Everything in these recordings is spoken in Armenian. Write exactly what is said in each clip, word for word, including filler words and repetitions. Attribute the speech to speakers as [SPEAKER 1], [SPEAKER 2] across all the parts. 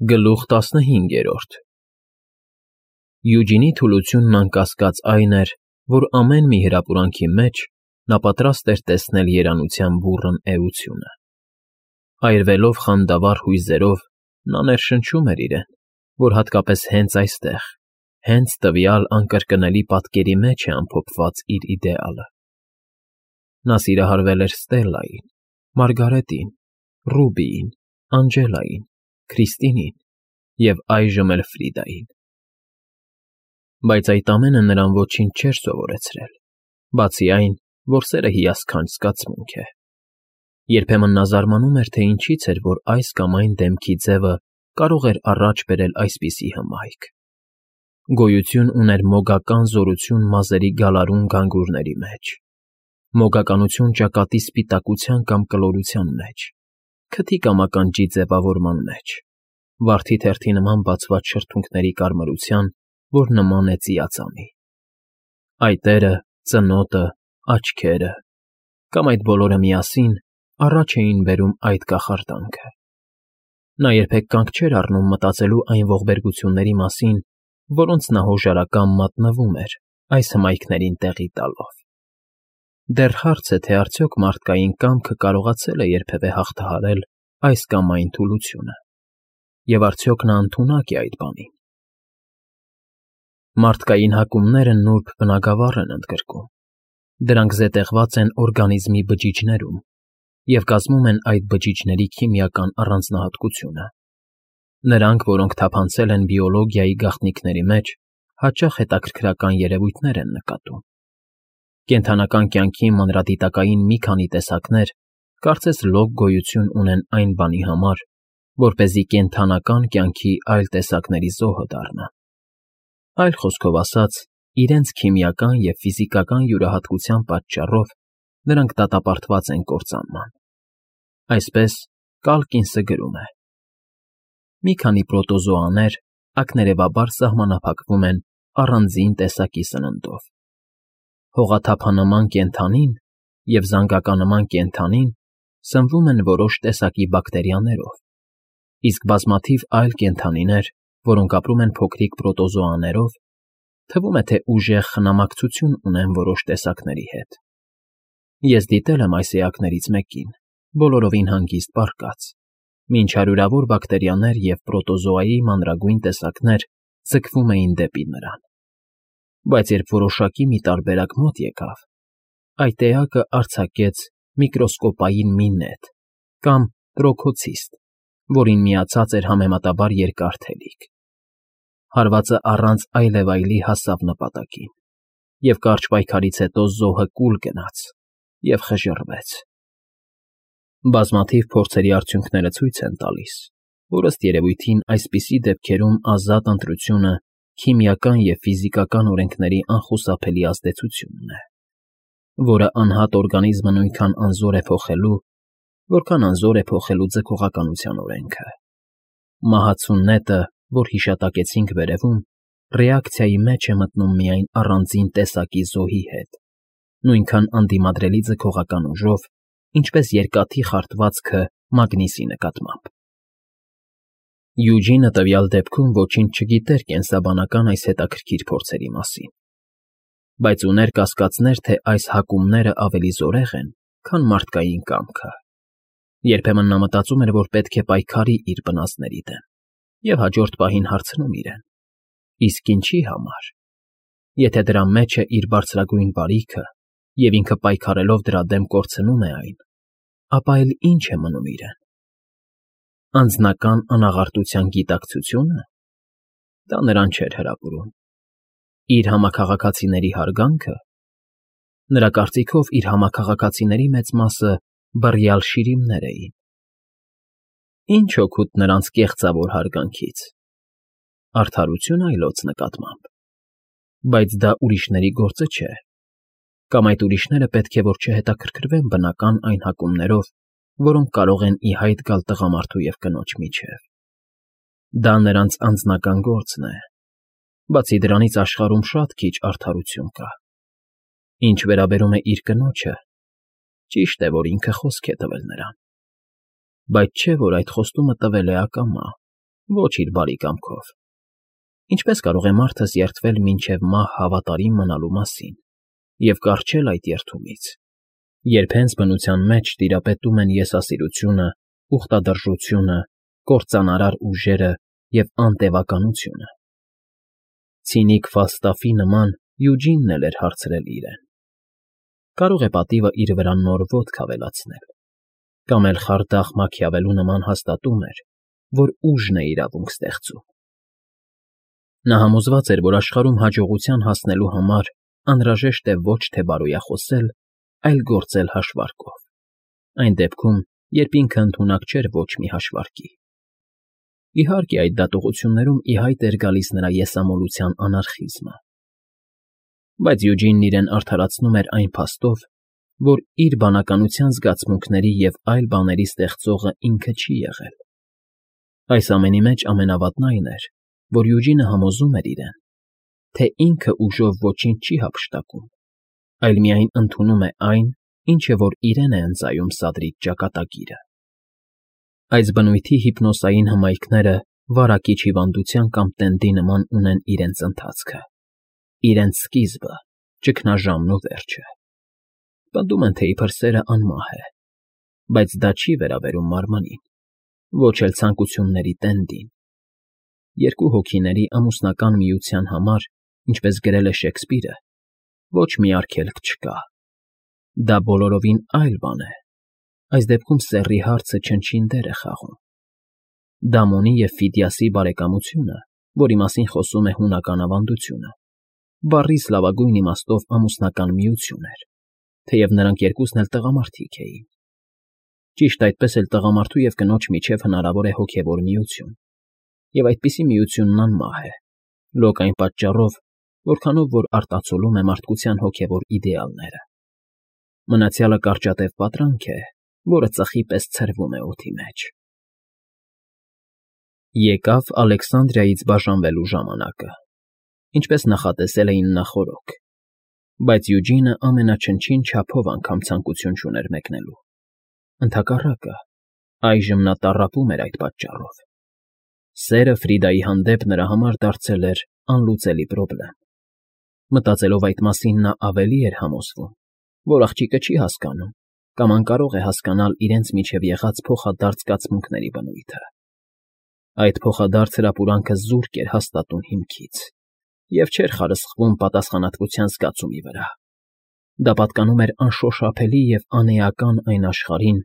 [SPEAKER 1] Գլուխ տասնհինգերորդ Յուջինի թուլությունն անկասկած այն էր, որ ամեն մի հրապուրանքի մեջ նա պատրաստ էր տեսնել երանության բուռն էությունը. այրվելով խանդավառ հույզերով, նա ներշնչում էր իրեն, որ հատկապես հենց այստեղ, հենց տվյալ անկրկնելի պատկերի մեջ է ամփոփված իր իդեալը. նա սիրահարվել էր Ստելլային, Մարգարետին, Ռուբիին, Անջելային, Քրիստինին և այժմ էլ Ֆրիդային։ Բայց այդ ամենը նրան ոչինչ չէր սովորեցրել, բացի այն, որ սերը հիասքանչ զգացմունք է։ Երբեմն նա զարմանում էր, թե ինչից էր, որ այս կամ այն դեմքի ձևը կարող էր առաջ բերել այսպիսի հմայք։ Գոյություն ուներ մոգական զորություն մազերի գալարուն գանգուրների մեջ, մոգականություն ճակատի սպիտակության կամ կլորության մեջ, քթի կամ ականջի ձևավորման մեջ, վարդի թերթի նման բացված շրթունքների կարմրության, որ նման է ծիածանի։ Այտերը, ծնոտը, աչքերը կամ այդ բոլորը միասին առաջ էին բերում այդ կախարդանքը։ Նա երբեք կանգ չէր առնում մտածելու այն ողբերգությունների մասին, որոնց նա հոժարակամ մատնվում էր այս հմայքներին տեղի տալով։ Դեռ հարց է, թե արդյոք մարդկային կամքը կարողացել է երբևէ հաղթահարել այս կամ այն թուլությունը, և արդյոք նա ընդունակ է այդ բանին։ Մարդկային հակումները նուրբ բնագավառ են ընդգրկում, դրանք զետեղված են օրգանիզմի բջիջներում և կազմում են այդ բջիջների քիմիական առանձնահատկությունը։ Նրանք, որոնք թափանցել են բիոլոգիայի գաղտնիքների մեջ, հաճախ հետաքրքրական երևույթներ են նկատում։ Կենդանական կյանքի մանրադիտակային մի քանի տեսակներ կարծես լոկ գոյություն ունեն այն բանի համար, որպեսզի կենդանական կյանքի այլ տեսակների զոհը դառնան։ Այլ խոսքով ասած, իրենց քիմիական և ֆիզիկական յուրահատկության պատճառով նրանք դատապարտված են կործանման։ Այսպես Կալկինսը գրում է. «Մի քանի պրոտոզոաներ ակներևաբար սահմանափակվում են առանձին տեսակի սննդով։ Հողաթափանման կենդանին և զանգականման կենդանին սնվում են որոշ տեսակի բակտերիաներով, իսկ բազմաթիվ այլ կենդանիներ, որոնք ապրում են փոքրիկ պրոտոզոաներով, թվում է, թե ուժեղ խնամակցություն ունեն որոշ տեսակների հետ։ Ես դիտել եմ այս էակներից մեկին, բոլորովին հանգիստ պառկած, մինչ հարյուրավոր բակտերիաներ և պրոտոզոայի մանրագույն տեսակներ ձգվում էին դեպի նրան։ Բայց երբ որոշակի մի տարբերակ մոտ եկավ, այդ էակը արձակեց միկրոսկոպային մի նետ կամ տրոքոցիստ, որին միացած էր համեմատաբար երկար թելիկ։ Հարվածը առանց այլևայլի հասավ նպատակին, և կարճ պայքարից հետո զոհը կուլ գնաց և խժռվեց։ Բազմաթիվ փորձերի արդյունքները ցույց են տալիս, որ ըստ երևույթին այսպիսի դեպքերում ազատ ընտրությունը քիմիական և ֆիզիկական օրենքների անխուսափելի ազդեցությունն է, որը անհատ օրգանիզմը նույնքան անզոր է փոխելու, որքան անզոր է փոխելու ձգողականության օրենքը։ Մահացու նետը, որ հիշատակեցինք վերևում, ռեակցիայի մեջ է մտնում միայն առանձին տեսակի զոհի հետ, նույնքան անդիմադրելի ձգողական ուժով, ինչպես երկաթի խարտվածքը մագնիսի նկատմամբ։ Յուջինը տվյալ դեպքում ոչինչ չգիտեր կենսաբանական այս հետաքրքիր փորձերի մասին, բայց ուներ կասկածներ, թե այս հակումները ավելի զորեղ են, քան մարդկային կամքը։ Երբեմն նա մտածում էր, որ պետք է պայքարի իր բնածների դեմ, և հաջորդ պահին հարցնում իրեն. իսկ ինչի համար։ Եթե դրա մեջ է իր բարձրագույն բարիքը, և ինքը պայքարելով դրա դեմ կորցնում է այն, ապա էլ ի՞նչ է մնում իրեն։ Անձնական անաղարտության գիտակցությո՞ւնը։ Դա նրան չէր հրապուրում։ Իր համաքաղաքացիների հարգանքը։ Նրա կարծիքով իր համաքաղաքացիների մեծ մասը բռյալ շիրիմներ էին։ Ի՞նչ օգուտ նրանց կեղծավոր հարգանքից։ Արդարություն այլոց նկատմամբ։ Բայց դա ուրիշների գործը չէ, կամ այդ ուրիշները պետք է որ չհետաքրքրվեն բնական այն հակումներով, որոնք կարող են ի հայտ գալ տղամարդու և կնոջ միջև։ Դա նրանց անձնական գործն է։ Բացի դրանից աշխարհում շատ քիչ արդարություն կա։ Ինչ վերաբերում է իր կնոջը, ճիշտ է, որ ինքը խոսք է տվել նրան, բայց չէ, որ այդ խոստումը տվել է ակամա, ոչ իր բարի կամքով։ Ինչպե՞ս կարող է մարդս երդվել մինչև մահ հավատարիմ մնալու մասին և կառչել այդ երդումից, երբ հենց բնության մեջ տիրապետում են եսասիրությունը, ուխտադրժությունը, կործանարար ուժերը և անտևականությունը։ Ցինիկ Ֆալստաֆի նման Յուջինն էլ էր հարցրել իրեն. կարող է պատիվը իր վրա նոր ոտք ավելացնել, կամ էլ խարդախ Մաքիավելու նման հաստատում էր, որ ուժն է իրավունք ստեղծում։ Նա համոզված էր, որ աշխարհում հաջողության հասնելու համար անհրաժեշտ է ոչ թե բարոյախոսել, այլ գործել հաշվարկով, այն դեպքում, երբ ինքը ընդունակ չէր ոչ մի հաշվարկի։ Իհարկե, այդ դատողություններում ի հայտ էր գալիս նրա եսամոլության անարխիզմը։ Բայց Յուջինն իրեն արդարացնում էր այն փաստով, որ իր բանականության զգացմունքների և այլ բաների ստեղծողը ինքը չի եղել։ Այս ամենի մեջ ամենավատն այն էր, որ Յուջինը համոզում էր իրեն, թե ինքը ուժով ոչինչ չի հափշտակում, այլ միայն ընդունում է այն, ինչը որ իրեն է ընծայում սադրիչ ճակատագիրը։ Այս բնույթի հիպնոսային հմայքները վարակիչ հիվանդության կամ տենդի նման ունեն իրենց ընթացքը, իրենց սկիզբը, ճգնաժամն ու վերջը։ Պնդում են, թե իբր սերը անմահ է, բայց դա չի վերաբերում մարմնին, ոչ էլ ցանկությունների տենդին։ Երկու հոգիների ամուսնական միության համար, ինչպես գրել է Շեքսպիրը, ոչ մի արգելք չկա։ Դա բոլորովին այլ բան է։ Այս դեպքում սեռի հարցը չնչին դեր է խաղում։ Դամոնի և Ֆիդիասի բարեկամությունը, որի մասին խոսում է հունական ավանդությունը, բառից լավագույն իմաստով ամուսնական միություն էր, թեև նրանք երկուսն էլ տղամարդիկ էին։ Ճիշտ այդպես էլ տղամարդու և կնոջ միջև հնարավոր է հոգևոր միություն, և այդպիսի միությունն անմահ է, լոկ այն պատճառով, որքանով որ արտացոլում է մարդկության հոգևոր իդեալները։ Մնացյալը կարճատև պատրանք է, որը ծխի պես ցրվում է օդի մեջ։ Եկավ Ալեքսանդրիայից բաժանվելու ժամանակը, ինչպես նախատեսել էին նախօրոք, բայց Յուջինը ամենաչնչին չափով անգամ ցանկություն չուներ մեկնելու։ Ընդհակառակը, այժմ նա տառապում էր այդ պատճառով։ Սերը Ֆրիդայի հանդեպ նրա համար դարձել էր անլուծելի պրոբլեմ։ Մտածելով այդ մասին, նա ավելի էր համոզվում, որ աղջիկը չի հասկանում կամ անկարող է հասկանալ իրենց միջև եղած փոխադարձ զգացմունքների բնույթը։ Այդ փոխադարձ հրապուրանքը զուրկ էր հաստատուն հիմքից և չէր խարսխվում պատասխանատվության զգացումի վրա։ Դա պատկանում էր անշոշափելի և անէական այն աշխարհին,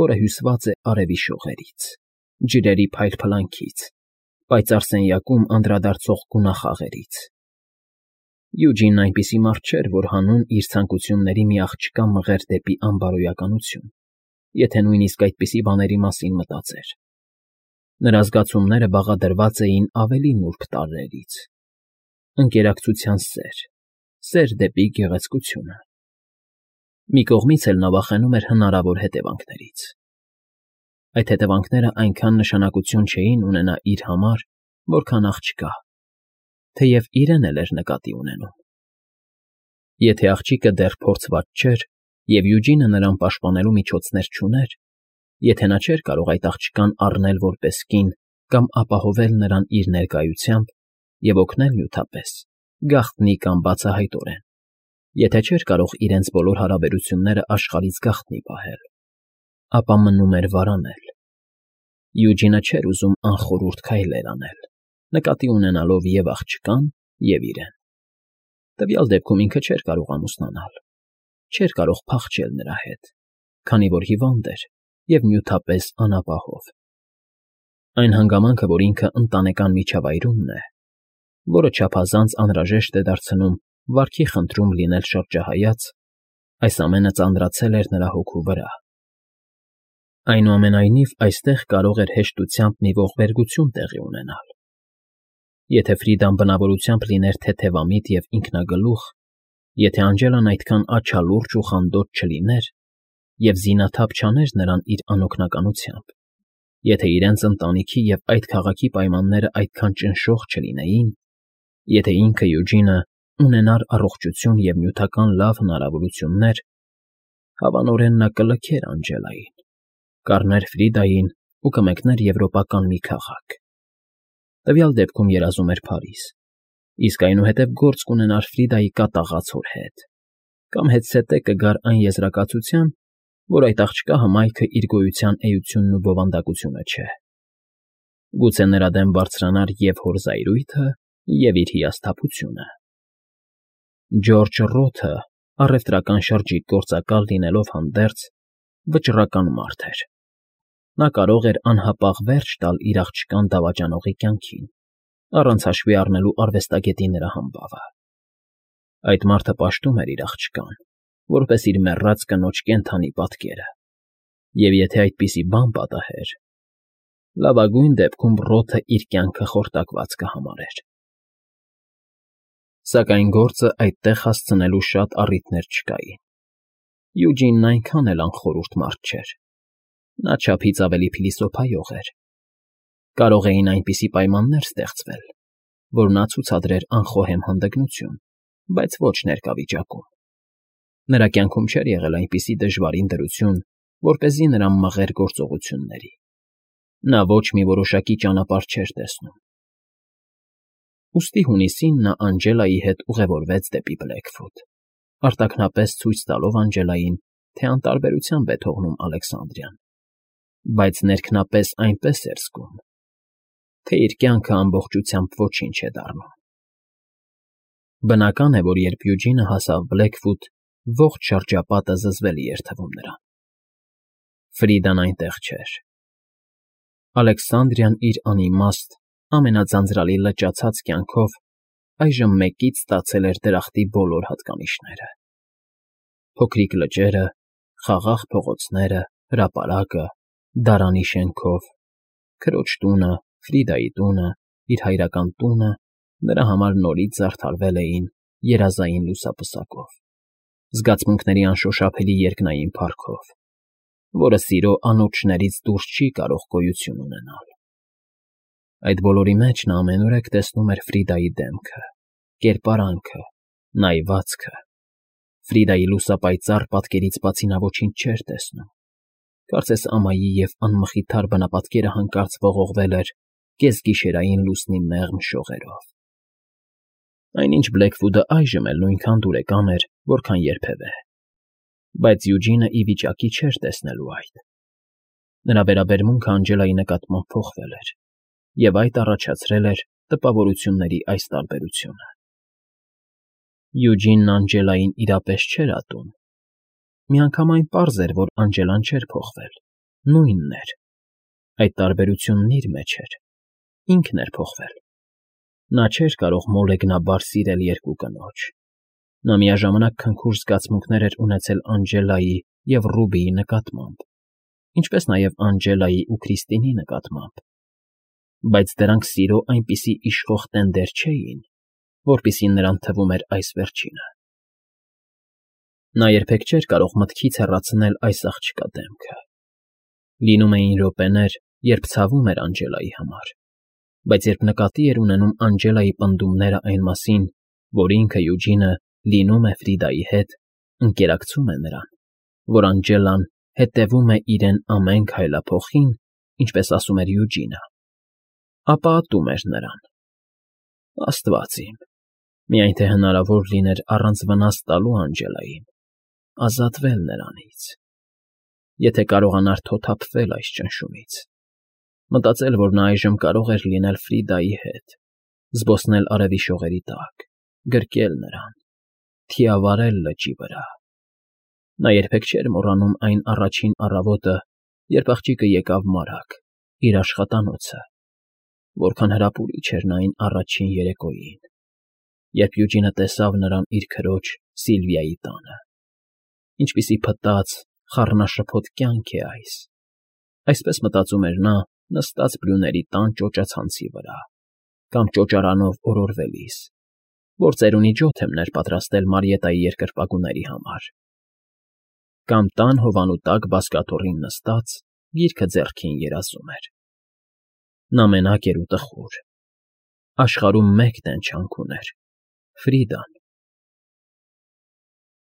[SPEAKER 1] որը հյուսված է արևի շողերից, ջրերի փայլփլանքից, պայծառ սենյակում անդրադարձող գունախաղերից։ Յուջինն այնպիսի մարդ չէր, որ հանուն իր ցանկությունների մի աղջկա մղեր դեպի անբարոյականություն, եթե նույնիսկ այդպիսի բաների մասին մտածեր։ Նրա զգացումները բաղադրված էին ավելի նուրբ տարրերից. ընկերակցության սեր, սեր դեպի գեղեցկությունը։ Մի կողմից էլ նա վախենում էր հնարավոր հետևանքներից։ Այդ հետևանքները այնքան նշանակություն չէին ունենա իր համար, որքան աղջկա, թեև իրեն էլ էր նկատի ունենում։ Եթե աղջիկը դեռ փորձված չէր, և Յուջինը նրան պաշտպանելու միջոցներ չուներ, եթե նա չէր կարող այդ աղջկան առնել որպես կին կամ ապահովել նրան իր ներկայությամբ և օգնել նյութապես, գաղտնի կամ բացահայտորեն, եթե չէր կարող իրենց բոլոր հարաբերությունները աշխարհից գաղտնի պահել, ապա մնում էր վարանել։ Յուջինը չէր ուզում անխորհուրդ քայլեր անել, նկատի ունենալով և աղջկան, և իրեն։ Տվյալ դեպքում ինքը չէր կարող ամուսնանալ, չէր կարող փախչել նրա հետ, քանի որ հիվանդ էր և նյութապես անապահով։ Այն հանգամանքը, որ ինքը ընտանեկան միջավայրումն է, որը չափազանց անհրաժեշտ է դարձնում վարքի խնդրում լինել շրջահայաց, այս ամենը ծանրացել էր նրա հոգու վրա։ Այնուամենայնիվ, այստեղ կարող էր հեշտությամբ մի ողբերգություն տեղի ունենալ։ Եթե Ֆրիդան բնավորությամբ լիներ թեթևամիտ և ինքնագլուխ, եթե Անջելան այդքան աջալուրջ ու խանդոտ չլիներ և զինաթափ չաներ նրան իր անօգնականությամբ, եթե իրենց ընտանիքի և այդ քաղաքի պայմանները այդքան ճնշող չլինեին, եթե ինքը Յուջինը ունենար առողջություն և նյութական լավ հնարավորություններ, հավանորեն նա կլքեր Անջելային, կառներ Ֆրիդային ու կմեկներ եվրոպական մի քաղաք, Տվյալ դեպքում երազում էր Փարիզ, իսկ այնուհետև գործ կունենար Ֆրիդայի կատաղած հոր հետ, կամ հետզհետե կգար այն եզրակացության, որ այդ աղջկա հմայքը իր գոյության էությունն ու բովանդակությունը չէ. գուցե նրա դեմ բարձրանար և հոր զայրույթը, և իր հիասթափությունը։ Ջորջ Ռոթը, առևտրական շրջիկ գործակալ լինելով հանդերձ, վճռական մարդ էր։ Նա կարող էր անհապաղ վերջ տալ իր աղջկան դավաճանողի կյանքին, առանց հաշվի առնելու արվեստագետի նրա համբավը։ Այդ մարդը պաշտում էր իր աղջկան, որպես իր մեռած կնոջ կենդանի պատկերը, և եթե այդպիսի բան պատահեր, լավագույն դեպքում Ռոթը իր կյանքը խորտակված կհամարեր։ Սակայն գործը այդտեղ հասցնելու շատ առիթներ չկային։ Յուջինն այնքան էլ անխորհուրդ մարդ չէր։ Նա չափից ավելի փիլիսոփայող էր։ Կարող էին այնպիսի պայմաններ ստեղծվել, որ նա ցուցադրեր անխոհեմ հանդգնություն, բայց ոչ ներկա վիճակում։ Նրա կյանքում չէր եղել այնպիսի դժվարին դրություն, որպեսզի նրան մղեր գործողությունների։ Նա ոչ մի որոշակի ճանապարհ չէր տեսնում։ Ուստի հունիսին նա Անջելայի հետ ուղևորվեց դեպի Բլեքֆուտ, արտաքնապես ցույց տալով Անջելային, թե անտարբերությամբ է թողնում Ալեքսանդրիան, բայց ներքնապես այնպես էր զգում, թե իր կյանքը ամբողջությամբ ոչինչ է դառնում։ Բնական է, որ երբ Յուջինը հասավ Բլեքֆուտ, ողջ շրջապատը զզվելի էր թվում նրան։ Ֆրիդան այնտեղ չէր։ Ալեքսանդրիան իր անիմաստ, ամենաձանձրալի լճացած կյանքով այժմ մեկից ստացել էր դրախտի բոլոր հատկանիշները. փոքրիկ լճերը, խաղաղ փողոցները, հրապարակը, դարանի շենքով, քրոջ տունը, Ֆրիդայի տունը, իր հայրական տունը նրա համար նորից զարդարվել էին երազային լուսապսակով, զգացմունքների անշոշափելի երկնային փառքով, որը սիրո անոթշներից դուրս չի կարող գոյություն ունենալ։ Այդ բոլորի մեջ նա ամենուրեք տեսնում էր Ֆրիդայի դեմքը, կերպարանքը, նայվածքը։ Ֆրիդայի լուսապայծառ պատկերից բացի նա ոչինչ չէր տեսնում։ Կարծես ամայի և անմխիթար բնապատկերը հանկարծ ողողվել էր կեսգիշերային լուսնի մեղմ շողերով։ Այնինչ Բլեքվուդը այժմ էլ նույնքան դուրեկան էր, որքան երբևէ, բայց Յուջինը ի վիճակի չէր տեսնելու այդ։ Նրա վերաբերմունքը Անջելայի նկատմամբ փոխվել էր, և այդ առաջացրել էր տպավորությունների այս տարբերությունը։ Յուջինն Անջելային իրապես չէր ատում։ Միանգամայն պարզ էր, որ Անջելան չէր փոխվել, նույնն էր։ Այդ տարբերությունն իր մեջ էր, ինքն էր փոխվել։ Նա չէր կարող մոլեգնաբար սիրել երկու կնոջ։ Նա միաժամանակ քնքուշ զգացմունքներ էր ունեցել Անջելայի և Ռուբիի նկատմամբ, ինչպես նաև Անջելայի ու Քրիստինի նկատմամբ, բայց դրանք սիրո այնպիսի իշխող տենդեր չէին, որպիսին նրան թվում էր այս վերջինը։ Նա երբեք չէր կարող մտքից հեռացնել այս աղջկա դեմքը։ Լինում էին րոպեներ, երբ ցավում էր Անջելայի համար, բայց երբ նկատի էր ունենում Անջելայի պնդումները այն մասին, որ ինքը Յուջինը լինում է Ֆրիդայի հետ, ընկերակցում է նրան, որ Անջելան հետևում է իրեն ամեն քայլափոխին, ինչպես ասում էր Յուջինը, ապա ատում էր նրան։ Աստված իմ, միայն թե հնարավոր լիներ առանց վնաս տալու Անջելային, ազատվել նրանից, եթե կարողանար թոթափվել այս ճնշումից, մտածել, որ նա այժմ կարող էր լինել Ֆրիդայի հետ, զբոսնել արևի շողերի տակ, գրկել նրան, թիավարել լճի վրա։ Նա երբեք չէր մոռանում այն առաջին առավոտը, երբ աղջիկը եկավ մարակ, իր աշխատանոցը, որքան հրապուրիչ էր նա այն առաջին երեկոյին, երբ Յուջինը տեսավ նրան իր քրոջ Սիլվիայի տանը։ Ինչպիսի փտած, խառնաշփոթ կյանք է այս, այսպես մտածում էր նա, նստած բլյուների տան ճոճացանցի վրա, կամ ճոճարանով օրորվելիս, որ ծերունի ջոթ եմ պատրաստել Մարիետայի երկրպագուների համար, կամ տան հովանու տակ բազկաթոռին նստած, գիրքը ձեռքին երազում էր։ Նա մենակ էր ու տխուր։ Աշխարհում մեկ տենչանք ուներ՝ Ֆրիդան։